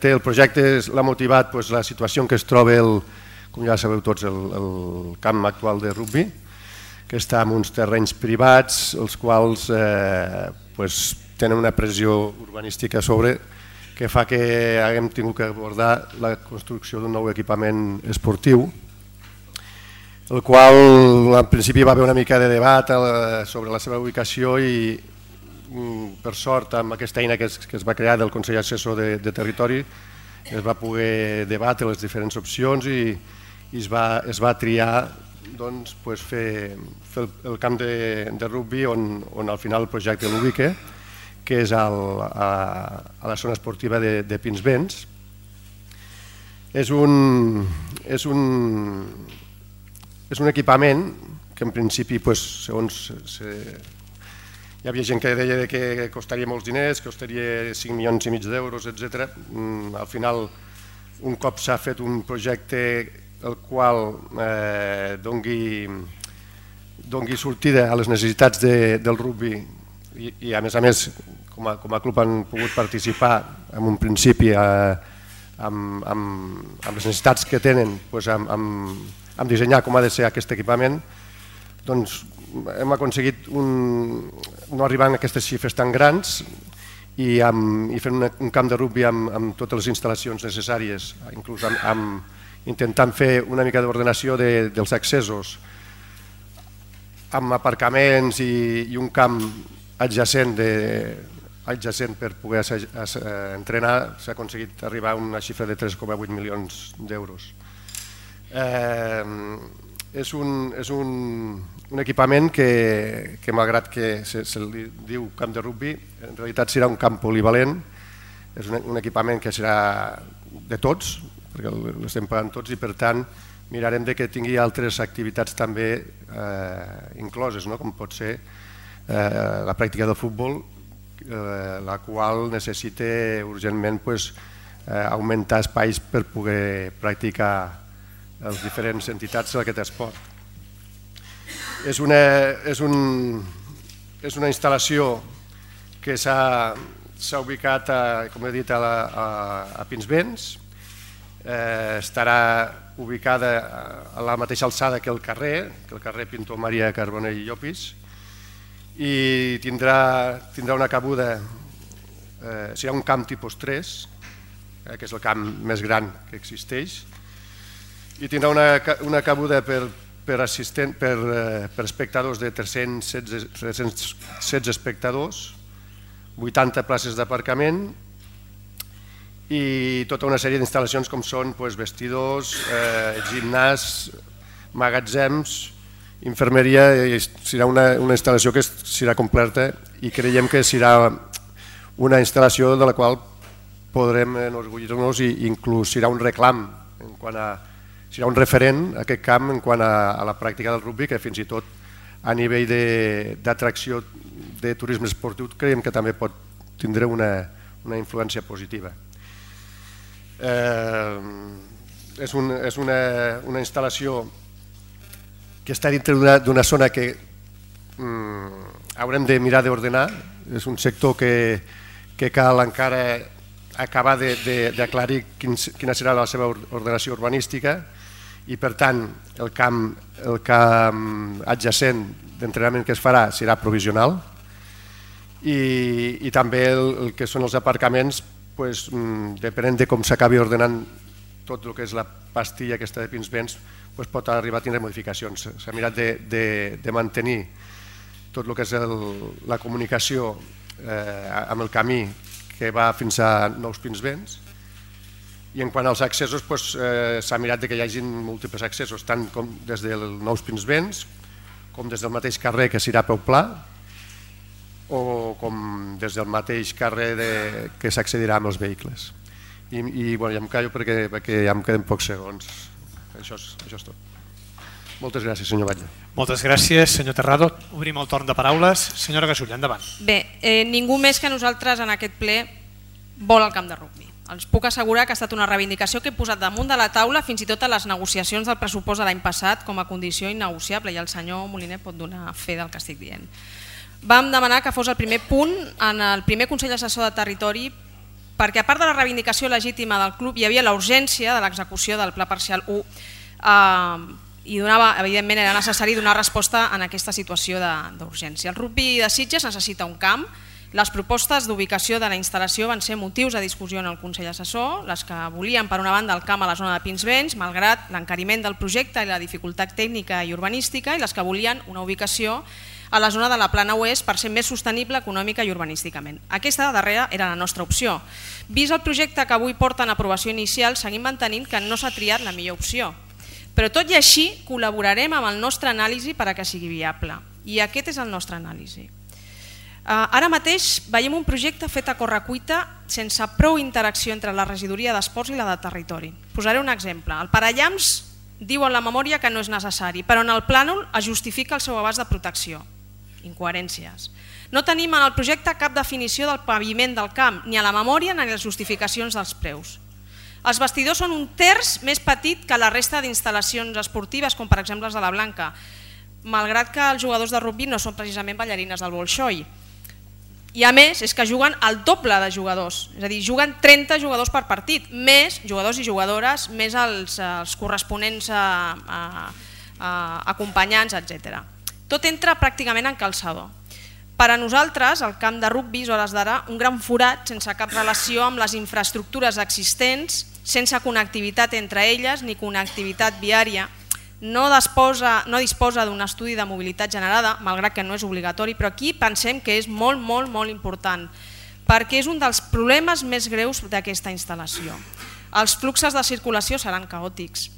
El projecte l'ha motivat la situació en què es troba, com ja sabeu tots, el camp actual de rugbi, que està en uns terrenys privats, els quals tenen una pressió urbanística a sobre, que fa que haguem tingut que abordar la construcció d'un nou equipament esportiu, el qual en principi va haver una mica de debat sobre la seva ubicació i per sort amb aquesta eina que es va crear del Consell Assessor de Territori es va poder debatre les diferents opcions i es va triar fer el camp de rugbi on al final el projecte l'ubica, que és a la zona esportiva de Pinsbens. És un equipament que en principi, segons hi havia gent que deia que costaria molts diners, que costaria 5,5 milions d'euros, etc. Al final, un cop s'ha fet un projecte el qual doni sortida a les necessitats del rugbi i a més, com a club han pogut participar en un principi amb les necessitats que tenen, amb dissenyar com ha de ser aquest equipament, doncs hem aconseguit no arribar a aquestes xifres tan grans i fent un camp de rugbi amb totes les instal·lacions necessàries, inclús intentant fer una mica d'ordenació dels accessos, amb aparcaments i un camp adjacent per poder entrenar, s'ha aconseguit arribar a una xifra de 3,8 milions d'euros. És un equipament que malgrat que se li diu camp de rugbi, en realitat serà un camp polivalent, és un equipament que serà de tots, perquè l'estem pagant tots i per tant mirarem que tingui altres activitats també incloses, com pot ser la pràctica del futbol, la qual necessita urgentment augmentar espais per poder practicar les diferents entitats d'aquest esport. És una instal·lació que s'ha ubicat, com he dit, a Pinsbens. Estarà ubicada a la mateixa alçada que el carrer Pintor Maria Carbonell i Llopis, i tindrà una cabuda, serà un camp tipus 3, que és el camp més gran que existeix, i tindrà una cabuda per espectadors de 316 espectadors, 80 places d'aparcament i tota una sèrie d'instal·lacions com són vestidors, gimnàs, magatzems, infermeria. Serà una instal·lació que serà completa i creiem que serà una instal·lació de la qual podrem enorgullir-nos i inclús serà un reclam, serà un referent aquest camp en quant a la pràctica del rugbi, que fins i tot a nivell d'atracció de turisme esportiu creiem que també pot tindre una influència positiva. És una instal·lació que està dintre d'una zona que haurem de mirar d'ordenar. És un sector que cal encara acabar d'aclarir quina serà la seva ordenació urbanística i per tant el camp adjacent d'entrenament que es farà serà provisional i també el que són els aparcaments, depenent de com s'acabi ordenant tot el que és la pastilla aquesta de Pinsbens, pot arribar a tindre modificacions. S'ha mirat de mantenir tot el que és la comunicació amb el camí que va fins a Nous Pinsbens, i en quant als accessos s'ha mirat que hi hagi múltiples accessos, tant com des del Nous Pinsbens com des del mateix carrer que serà Peu Pla o com des del mateix carrer que s'accedirà amb els vehicles. I ja em callo perquè ja em queden pocs segons. Això és tot. Moltes gràcies, senyor Batlle. Moltes gràcies, senyor Terrado. Obrim el torn de paraules. Senyora Gasulla, endavant. Bé, ningú més que nosaltres en aquest ple vol el camp de rugbi. Els puc assegurar que ha estat una reivindicació que he posat damunt de la taula fins i tot a les negociacions del pressupost de l'any passat com a condició innegociable, i el senyor Moliner pot donar fe del que estic dient. Vam demanar que fos el primer punt en el primer Consell Assessor de Territori perquè a part de la reivindicació legítima del club hi havia la urgència de l'execució del Pla Parcial 1 i evidentment era necessari donar resposta en aquesta situació d'urgència. El rugby de Sitges necessita un camp. Les propostes d'ubicació de la instal·lació van ser motius de discussió en el Consell Assessor, les que volien per una banda el camp a la zona de Pinsbens, malgrat l'encariment del projecte i la dificultat tècnica i urbanística, i les que volien una ubicació a la zona de la Plana Oest per ser més sostenible econòmica i urbanísticament. Aquesta darrera era la nostra opció. Vist el projecte que avui porta en aprovació inicial, seguim mantenint que no s'ha triat la millor opció. Però tot i així col·laborarem amb el nostre anàlisi per a que sigui viable. I aquest és el nostre anàlisi. Ara mateix veiem un projecte fet a correcuita sense prou interacció entre la regidoria d'esports i la de territori. Posaré un exemple. El parallamps diu en la memòria que no és necessari, però en el plànol es justifica el seu abast de protecció. Incoherències. No tenim en el projecte cap definició del paviment del camp, ni a la memòria ni a les justificacions dels preus. Els vestidors són un terç més petit que la resta d'instal·lacions esportives, com per exemple els de la Blanca, malgrat que els jugadors de rugby no són precisament ballarines del Bolxoi. I a més és que juguen el doble de jugadors, és a dir, juguen 30 jugadors per partit, més jugadors i jugadores, més els corresponents acompanyants, etc. Tot entra pràcticament en calçador. Per a nosaltres, el camp de rugby és a hores d'ara un gran forat sense cap relació amb les infraestructures existents, sense connectivitat entre elles ni connectivitat viària. No disposa d'un estudi de mobilitat generada, malgrat que no és obligatori, però aquí pensem que és molt important, perquè és un dels problemes més greus d'aquesta instal·lació. Els fluxos de circulació seran caòtics.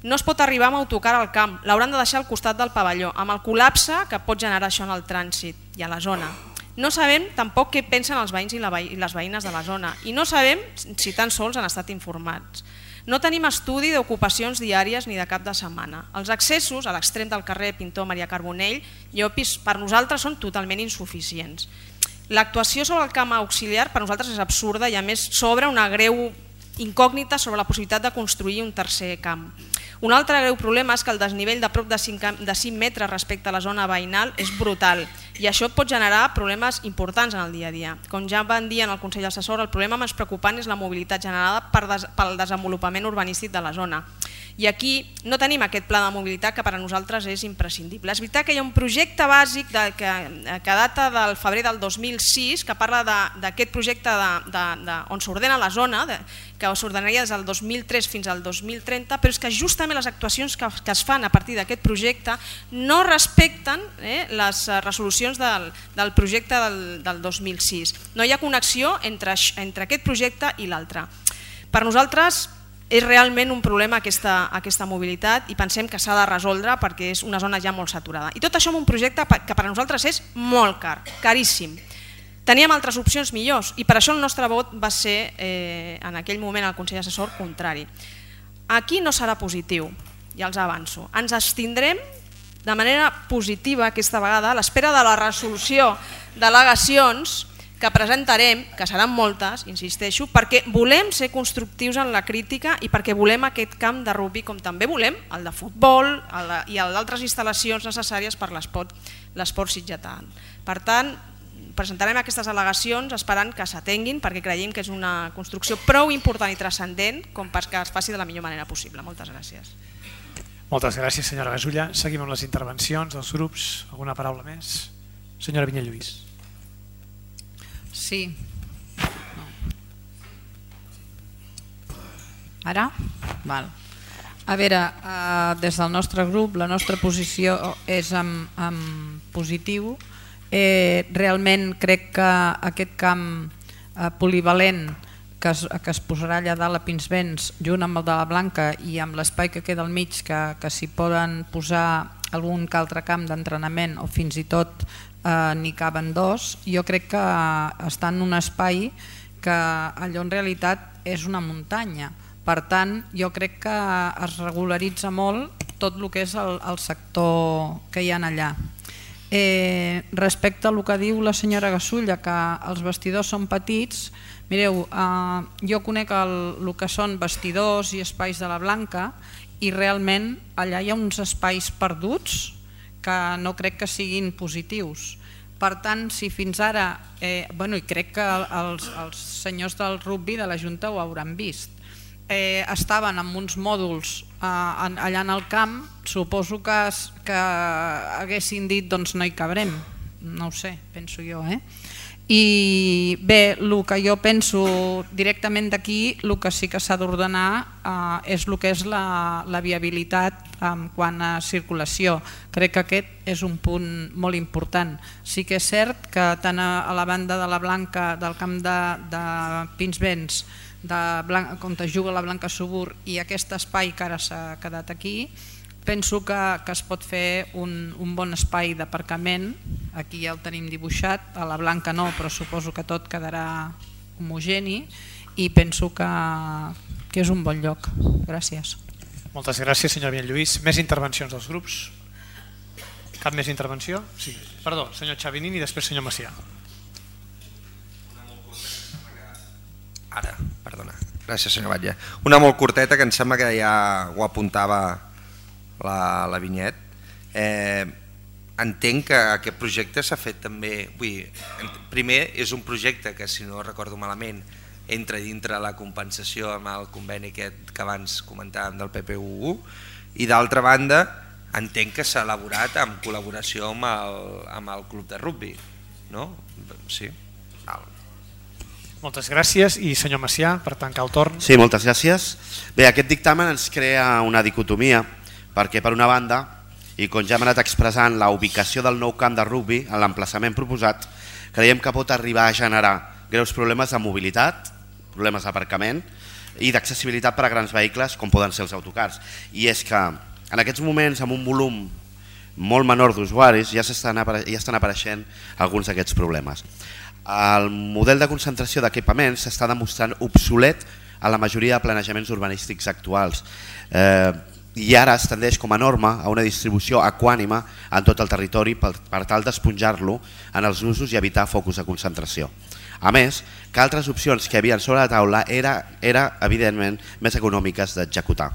No es pot arribar amb autocar al camp, l'hauran de deixar al costat del pavelló, amb el col·lapse que pot generar això en el trànsit i a la zona. No sabem tampoc què pensen els veïns i les veïnes de la zona i no sabem si tan sols han estat informats. No tenim estudi d'ocupacions diàries ni de cap de setmana. Els accessos a l'extrem del carrer Pintor Maria Carbonell i Opis per nosaltres són totalment insuficients. L'actuació sobre el camp auxiliar per nosaltres és absurda i a més s'obre una greu incògnita sobre la possibilitat de construir un tercer camp. Un altre greu problema és que el desnivell de prop de 5 metres respecte a la zona veïnal és brutal i això pot generar problemes importants en el dia a dia. Com ja van dir en el Consell Assessor, el problema més preocupant és la mobilitat generada pel desenvolupament urbanístic de la zona. I aquí no tenim aquest pla de mobilitat que per a nosaltres és imprescindible. És veritat que hi ha un projecte bàsic que data del febrer del 2006 que parla d'aquest projecte on s'ordena la zona, que s'ordenaria des del 2003 fins al 2030, però és que justament les actuacions que es fan a partir d'aquest projecte no respecten les resolucions del projecte del 2006. No hi ha connexió entre aquest projecte i l'altre. Per nosaltres és realment un problema aquesta mobilitat i pensem que s'ha de resoldre perquè és una zona ja molt saturada. I tot això amb un projecte que per a nosaltres és molt car, caríssim. Teníem altres opcions millors i per això el nostre vot va ser en aquell moment al Consell Assessor contrari. Aquí no serà positiu, ja els avanço. Ens abstindrem de manera positiva aquesta vegada a l'espera de la resolució d'al·legacions que presentarem, que seran moltes, insisteixo, perquè volem ser constructius en la crítica i perquè volem aquest camp de rugby com també volem el de futbol i d'altres instal·lacions necessàries per l'esport sitgetà. Per tant, presentarem aquestes al·legacions esperant que s'atenguin perquè creiem que és una construcció prou important i transcendent com perquè es faci de la millor manera possible. Moltes gràcies. Moltes gràcies, senyora Gasulla. Seguim amb les intervencions dels grups. Alguna paraula més? Senyora Vinyalluís. Sí. Ara? Val. A veure, des del nostre grup la nostra posició és en positiu. Realment crec que aquest camp polivalent que es posarà allà dalt a Pinsbens junt amb el de la Blanca i amb l'espai que queda al mig que s'hi poden posar algun altre camp d'entrenament o fins i tot n'hi caben dos, jo crec que està en un espai que allò en realitat és una muntanya. Per tant, jo crec que es regularitza molt tot el que és el sector que hi ha allà. Respecte al que diu la senyora Gasulla, que els vestidors són petits, mireu, jo conec el que són vestidors i espais de la Blanca i realment allà hi ha uns espais perduts que no crec que siguin positius. Per tant, si fins ara, i crec que els senyors del rugby de la Junta ho hauran vist, estaven amb uns mòduls allà en el camp, suposo que haguessin dit doncs no hi cabrem, no ho sé, penso jo. I bé, el que jo penso directament d'aquí, el que sí que s'ha d'ordenar és el que és la viabilitat en quant a circulació. Crec que aquest és un punt molt important. Sí que és cert que tant a la banda de la Blanca, del camp de Pinsbens, on es juga la Blanca Subur, i aquest espai que ara s'ha quedat aquí, penso que es pot fer un bon espai d'aparcament. Aquí ja el tenim dibuixat, a la Blanca no, però suposo que tot quedarà homogeni i penso que és un bon lloc. Gràcies. Moltes gràcies, senyor Lluís. Més intervencions dels grups? Cap més intervenció? Sí. Perdó, senyor Xavinín i després senyor Macià. Ara, perdona. Gràcies, senyor Batlle. Una molt curteta que em sembla que ja ho apuntava la Vinyet. Entenc que aquest projecte s'ha fet també, primer és un projecte que, si no recordo malament, entra dintre la compensació amb el conveni que abans comentàvem del PPU, i d'altra banda entenc que s'ha elaborat en col·laboració amb el club de rugby, no? Sí? Moltes gràcies. I senyor Macià, per tancar el torn. Sí, moltes gràcies. Bé, aquest dictamen ens crea una dicotomia, perquè per una banda, i com ja hem anat expressant, la ubicació del nou camp de rugby en l'emplaçament proposat, creiem que pot arribar a generar greus problemes de mobilitat, problemes d'aparcament i d'accessibilitat per a grans vehicles com poden ser els autocars. I és que en aquests moments, amb un volum molt menor d'usuaris, ja estan apareixent alguns d'aquests problemes. El model de concentració d'equipaments s'està demostrant obsolet a la majoria de planejaments urbanístics actuals, i ara es tendeix com a norma a una distribució equànime en tot el territori per tal d'esponjar-lo en els usos i evitar focus de concentració. A més, que altres opcions que hi havia sobre la taula eren evidentment més econòmiques d'executar.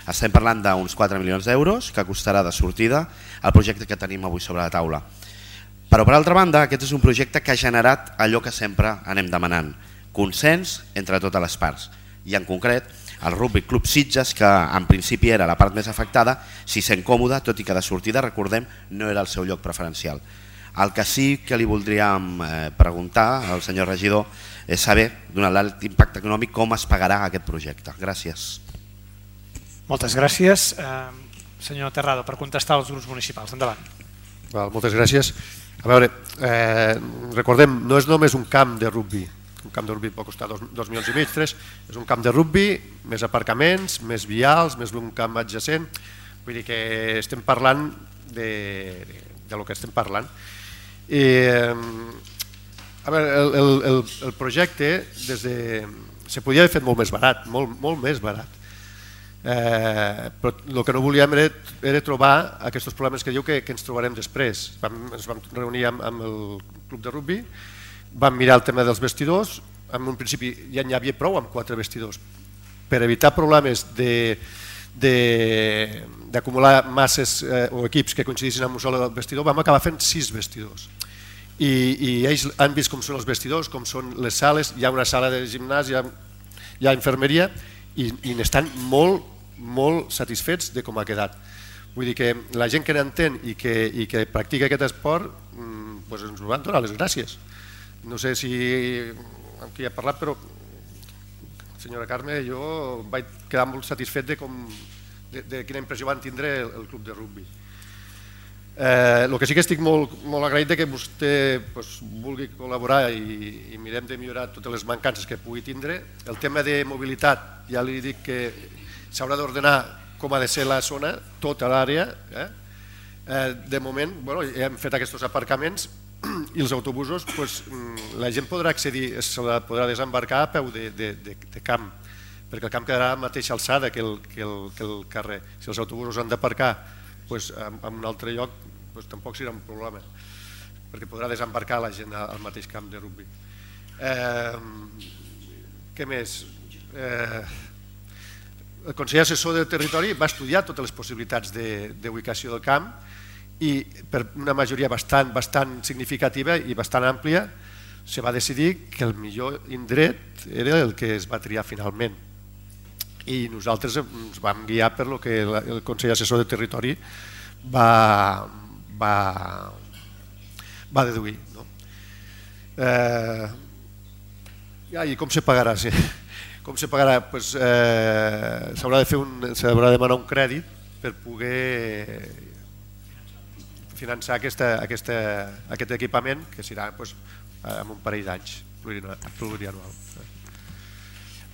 Estem parlant d'uns 4 milions d'euros que costarà de sortida el projecte que tenim avui sobre la taula. Però per altra banda, aquest és un projecte que ha generat allò que sempre anem demanant, consens entre totes les parts, i en concret el Rugby Club Sitges, que en principi era la part més afectada, s'hi sent còmode, tot i que de sortida, recordem, no era el seu lloc preferencial. El que sí que li voldríem preguntar al senyor regidor és saber, donat l'alt impacte econòmic, com es pagarà aquest projecte. Gràcies. Moltes gràcies. Senyor Terrado, per contestar als grups municipals. Endavant. Moltes gràcies. A veure, recordem, no és només un camp de rugby. Un camp de rugby pot costar 2,5 milions, 3. És un camp de rugby, més aparcaments, més vials, més un camp adjacent. Vull dir que estem parlant de lo que estem parlant. A veure, el projecte se podia haver fet molt més barat, molt més barat. Però el que no volíem era trobar aquests problemes que diu que ens trobarem després. Ens vam reunir amb el club de rugby, vam mirar el tema dels vestidors, en un principi ja n'hi havia prou amb 4 vestidors. Per evitar problemes d'acumular masses o equips que coincidissin amb un sol vestidor, vam acabar fent 6 vestidors. I ells han vist com són els vestidors, com són les sales, hi ha una sala de gimnàs, hi ha infermeria, i n'estan molt satisfets de com ha quedat. Vull dir que la gent que n'entén i que practica aquest esport ens ho van donar les gràcies. No sé si amb qui he parlat, però senyora Carme, jo vaig quedar molt satisfet de quina impressió van tindre el club de rugby. El que sí que estic molt agraït que vostè vulgui col·laborar i mirem de millorar totes les mancances que pugui tindre. El tema de mobilitat, ja li dic que s'haurà d'ordenar com ha de ser la zona, tota l'àrea. De moment hem fet aquests aparcaments i els autobusos, la gent podrà accedir, se la podrà desembarcar a peu de camp, perquè el camp quedarà a la mateixa alçada que el carrer. Si els autobusos han d'aparcar en un altre lloc, tampoc serà un problema, perquè podrà desembarcar la gent al mateix camp de rugby. Què més? El Consell Assessor del Territori va estudiar totes les possibilitats d'ubicació del camp i per una majoria bastant significativa i bastant àmplia se va decidir que el millor indret era el que es va triar finalment, i nosaltres ens vam guiar per lo que el Consell Assessor de Territori va deduir, no? I com se pagarà? Com se pagarà? S'haurà de demanar un crèdit per poder finançar aquest equipament, que serà en un parell d'anys plurianual.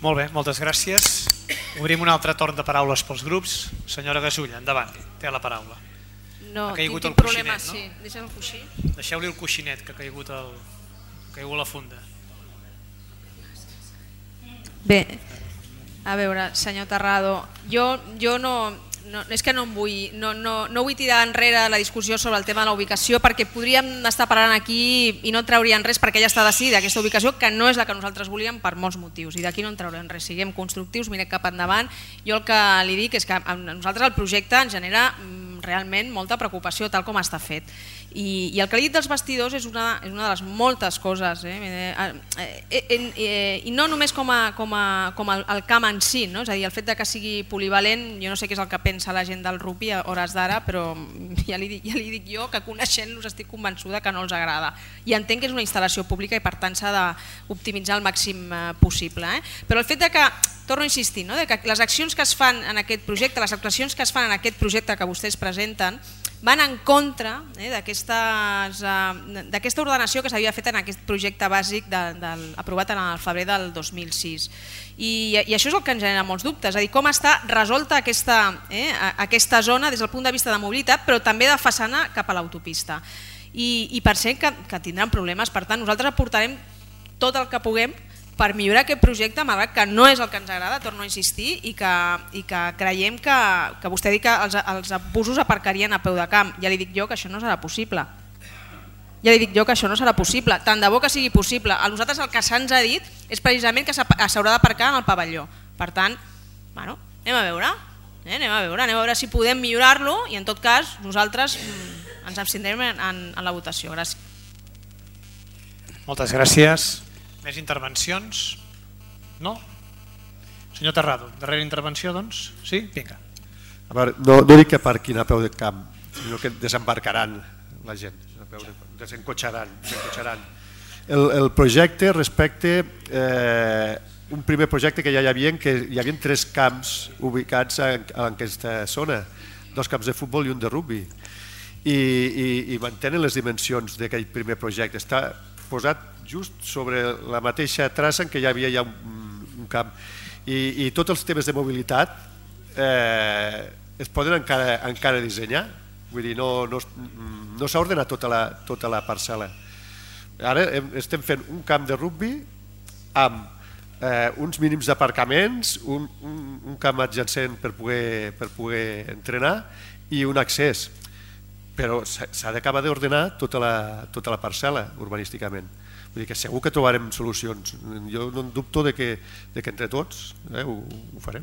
Molt bé, moltes gràcies. Obrim un altre torn de paraules pels grups. Senyora Gasulla, endavant, té la paraula. No, ha caigut tinc el problemes, coixinet, no? sí. Deixa'm el coixí. Deixeu-li el coixinet, que ha caigut la funda. Bé, a veure, senyor Terrado, jo és que no vull tirar enrere la discussió sobre el tema de la ubicació, perquè podríem estar parlant aquí i no traurien res, perquè ja està decidida aquesta ubicació, que no és la que nosaltres volíem per molts motius, i d'aquí no en traurem res. Siguem constructius, mirem cap endavant. Jo el que li dic és que a nosaltres el projecte ens genera realment molta preocupació tal com està fet, i el que li he dit dels vestidors és una de les moltes coses, i no només com el camp en si, no? És a dir, el fet que sigui polivalent, jo no sé què és el que pensa la gent del rugby a hores d'ara, però ja li dic jo que coneixent-los estic convençuda que no els agrada, i entenc que és una instal·lació pública i per tant s'ha d'optimitzar el màxim possible, però el fet que, torno a insistir, que les accions que es fan en aquest projecte, les actuacions que es fan en aquest projecte que vostès presenten, van en contra d'aquesta ordenació que s'havia fet en aquest projecte bàsic aprovat en el febrer del 2006. I això és el que ens genera molts dubtes, és a dir, com està resolta aquesta zona des del punt de vista de mobilitat, però també de façana cap a l'autopista. I pensem que tindran problemes, per tant nosaltres aportarem tot el que puguem per millorar aquest projecte, malgrat que no és el que ens agrada, torno a insistir, i que creiem que vostè diu que els busos aparcarien a peu de camp. Ja li dic jo que això no serà possible. Tant de bo que sigui possible. A nosaltres el que se'ns ha dit és precisament que s'haurà d'aparcar en el pavelló. Per tant, anem a veure si podem millorar-lo, i en tot cas nosaltres ens abstindrem en la votació. Gràcies. Moltes gràcies. Més intervencions? No? Senyor Terrado, darrera intervenció, doncs? Sí? Vinga. A veure, no dic que aparquin a peu de camp, sinó que desembarcaran la gent, desencotxaran. El projecte respecte un primer projecte que ja hi havia, que hi havia 3 camps ubicats en aquesta zona, 2 camps de futbol i un de rugby, i mantenen les dimensions d'aquell primer projecte. Està posat just sobre la mateixa traça en què hi havia ja un camp, i tots els temes de mobilitat es poden encara dissenyar, vull dir, no s'ha ordenat tota la parcel·la. Ara estem fent un camp de rugby amb uns mínims d'aparcaments, un camp adjacent per poder entrenar i un accés, però s'ha d'acabar d'ordenar tota la parcel·la urbanísticament. Vull dir que segur que trobarem solucions. Jo no en dubto que entre tots ho farem.